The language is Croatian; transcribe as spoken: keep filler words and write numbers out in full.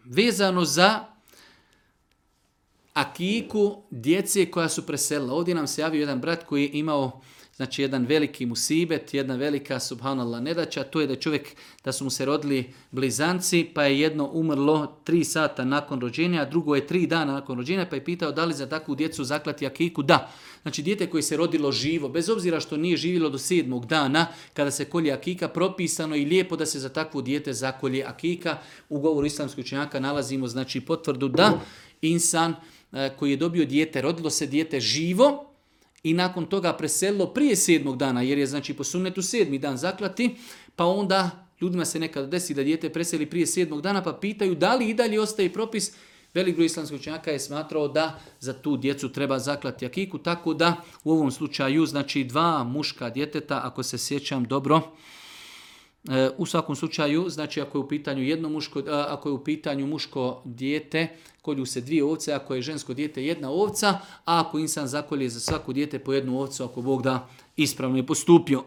vezano za akiku djece koja su preselila. Ovdje nam se javio jedan brat koji je imao znači jedan veliki musibet, jedna velika subhanallah nedaća, to je da čovjek, da su mu se rodili blizanci, pa je jedno umrlo tri sata nakon rođenja, a drugo je tri dana nakon rođenja, pa je pitao da li za takvu djecu zaklati akiku. Da. Znači dijete koje se rodilo živo, bez obzira što nije živjelo do sedmog dana, kada se kolje akika, propisano i lijepo da se za takvu dijete zakolje akika. U govoru islamskih učenjaka nalazimo znači potvrdu da insan koji je dobio dijete, rodilo se dijete živo, i nakon toga preselilo prije sedmog dana, jer je znači po sunnetu sedmi dan zaklati, pa onda ljudima se nekada desi da dijete preseli prije sedmog dana, pa pitaju da li i dalje ostaje propis. Velik broj islamskih učenjaka je smatrao da za tu djecu treba zaklati akiku, tako da u ovom slučaju znači dva muška djeteta, ako se sjećam dobro, u svakom slučaju, znači ako je u pitanju jedno muško, ako je u pitanju muško dijete, kolju se dvije ovce, ako je žensko dijete jedna ovca, a ako insan zakolje za svako dijete po jednu ovcu, ako Bog da, ispravno je postupio.